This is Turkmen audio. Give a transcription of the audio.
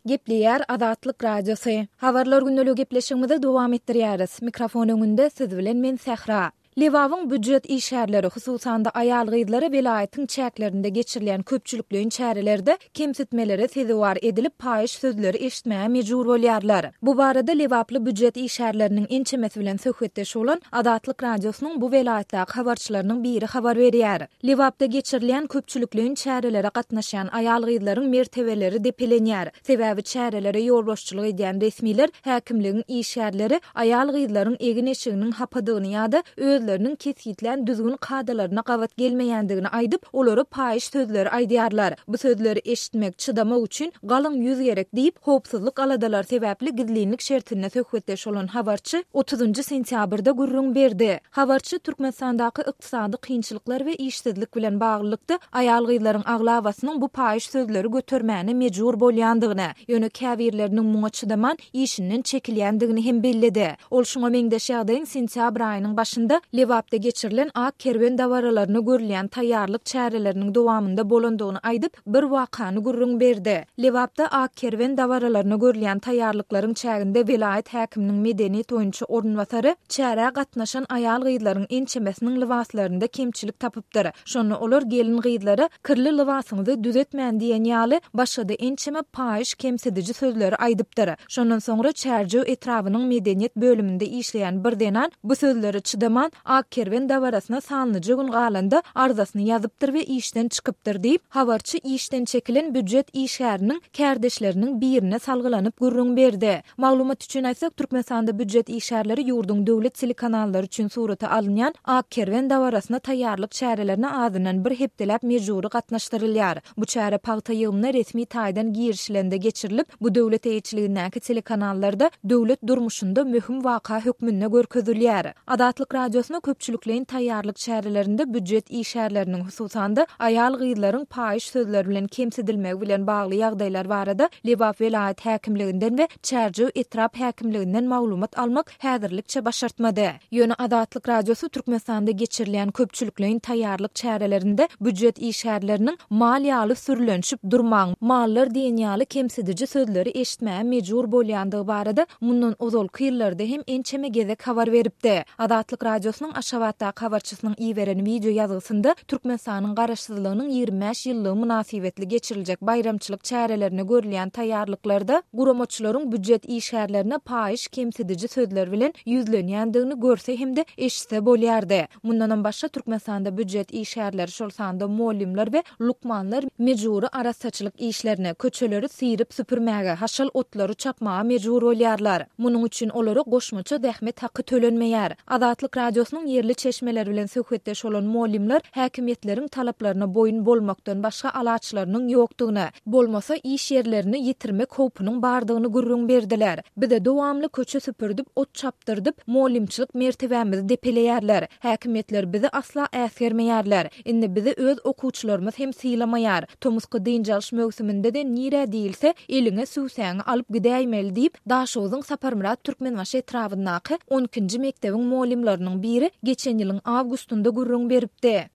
Gepleýär Azatlyk Radiosy. Habarlar gündeligi gepleşigimizi dowam etdirýäris. Mikrofon öňünde siz bilen men Sähra. Lebabyň býujet işgärleri, hususan-da aýal-gyzlary welaýatyň çäklerinde geçirilýän köpçülikleýin çärelerde kemsitmelere sezewar edilip, paýyş sözleri eşitmäge mejbur bolýarlar. Bu barada lebaply býujet işgärleriniň ençemesi bilen söhbetdeş bolan Azatlyk Radiosynyň bu welaýatdaky habarçylarynyň biri habar berýär. Lebapda geçirilýän köpçülikleýin çärelere gatnaşýan aýal-gyzlaryň mertebeleri depelenýär. Sebäbi çärelere ýolbaşçylyk edýän resmiler, häkimligiň işgärleri aýal-gyzlaryň egin-eşiginiň hapadygyny ýa-da özleriniň kesgitlän düzgün-kadalaryna gabat gelmeýändigini aýdyp, olara paýyş sözleri aýdýarlar. Bu sözleri eşitmek, çydamak üçin galyň ýüz gerek diýip, howpsuzlyk aladalary sebäpli gizlinlik şertinde söhbetdeş bolan habarçy otuzynjy sentýabrda gürrüň berdi. Habarçy Türkmenistandaky ykdysady kynçylyklar we işsizlik bilen baglylykda aýal-gyzlaryň aglabasynyň bu paýyş sözleri götermäne mejbur bolýandygyny, ýöne käbirleriniň muňa çydaman, işinden çekilýändigini hem belledi. Ol şuňa meňzeş ýagdaýyň sentýabr aýynyň başynda Lebapda geçirilen Ak kerwen dabaralaryna görülýän taýýarlyk çäreleriniň dowamynda bolandygyny aýdyp, bir wakany gürrüň berdi. Lebapda Ak kerwen dabaralaryna görülýän taýýarlyklaryň çäginde welaýat häkiminiň medeniýet boýunça orunbasary çärä gatnaşan aýal-gyzlaryň ençemesiniň lybaslarynda kemçilik tapypdyr. Şonda olar gelin-gyzlara Kirli lybasyňyzy düzetmän diýen ýaly başga-da ençeme paýyş kemsidiji sözleri aýdypdyr. Şondan soňra Çärjew etrabynyň medeniýet bölüminde işleýän bir zenan bu sözlere çydaman, Ak kerwen dabarasyna sanlyja gün galanda arzasyny ýazypdyr we işden çykypdyr diýip, habarçy işden çekilen býujet işgäriniň kärdeşleriniň birine salgylanyp gürrüň berdi. Maglumat üçin aýtsak, Türkmenistanda býujet işgärleri ýurduň döwlet telekanallary üçin surata alynýan Ak kerwen dabarasyna taýýarlyk çärelerine azyndan bir hepdeläp mejbury gatnaşdyrylýar. Bu çäre pagta ýygymyna resmi taýdan girişilende geçirilip, bu döwlet eýeçiligindäki telekanallarda döwlet durmuşynda möhüm waka hökmünde görkezilýär. Azatlyk Radiosyna köpçülikleýin taýýarlyk çärelerinde býujet işgärleriniň, hususan-da, aýal-gyzlaryň paýyş sözler bilen kemsidilmegi bilen bagly ýagdaýlar barada Lebap welaýat häkimliginden we Çärjew etrap häkimliginden maglumat almak häzirlikçe başartmady. Ýöne Azatlyk Radiosy Türkmenistanda geçirilýän köpçülikleýin taýýarlyk çärelerinde býujet işgärleriniň mal ýaly sürlenişip durmaň, mallar diýen ýaly kemsidiji sözleri eşitmäge mejbur bolýandygy barada mundan ozalky ýyllarda hem ençeme gezek habar beripdi. Azatlyk Radiosynyň Aşgabatdaky habarçysynyň iberen wideo ýazgysynda Türkmenistanyň Garaşsyzlygynyň 25 ýyllygy mynasybetli geçiriljek baýramçylyk çärelerine görülýän taýýarlyklarda guramaçylaryň býujet işgärlerine paýyş kemsidiji sözler bilen ýüzlenýändigini görse hem-de eşitse bolýardy. Mundanam başga Türkmenistanda býujet işgärleri, şol sanda mugallymlar we lukmanlar mejbury arassaçylyk işlerine, köçeleri syryp-süpürmäge, haşal otlary çapmaga mejbur bolýarlar. Munuň üçin olara goşmaça zähmet haky tölenmeýär. Azatlyk Radiosynyň ýerli çeşmeleri bilen söhbetdeş bolan mugallymlar häkimiýetleriň talaplaryna boýun bolmakdan başga alaçlarynyň ýokdugyny, bolmasa iş ýerlerini ýitirmek howpunyň bardygyny gürrüň berdiler. Bize dowamly köçe süpürdip, ot çapdyrdyp, mugallymçylyk mertebämizi depeleýärler. Häkimiýetler bizi asla äsgermeýärler. Indi bizi öz okuwçylarymyz hem sylamaýar. Tomusky dynç alyş möwsüminde-de nirä diýilse, eliňe süwsäňi alyp gidäýmeli diýip, Daşogzuň Saparmyrat Türkmenbaşy etrabyndaky on ikinji mekdebiň mugallymlarynyň biri geçen ýylyň awgustynda gürrüň beripdi.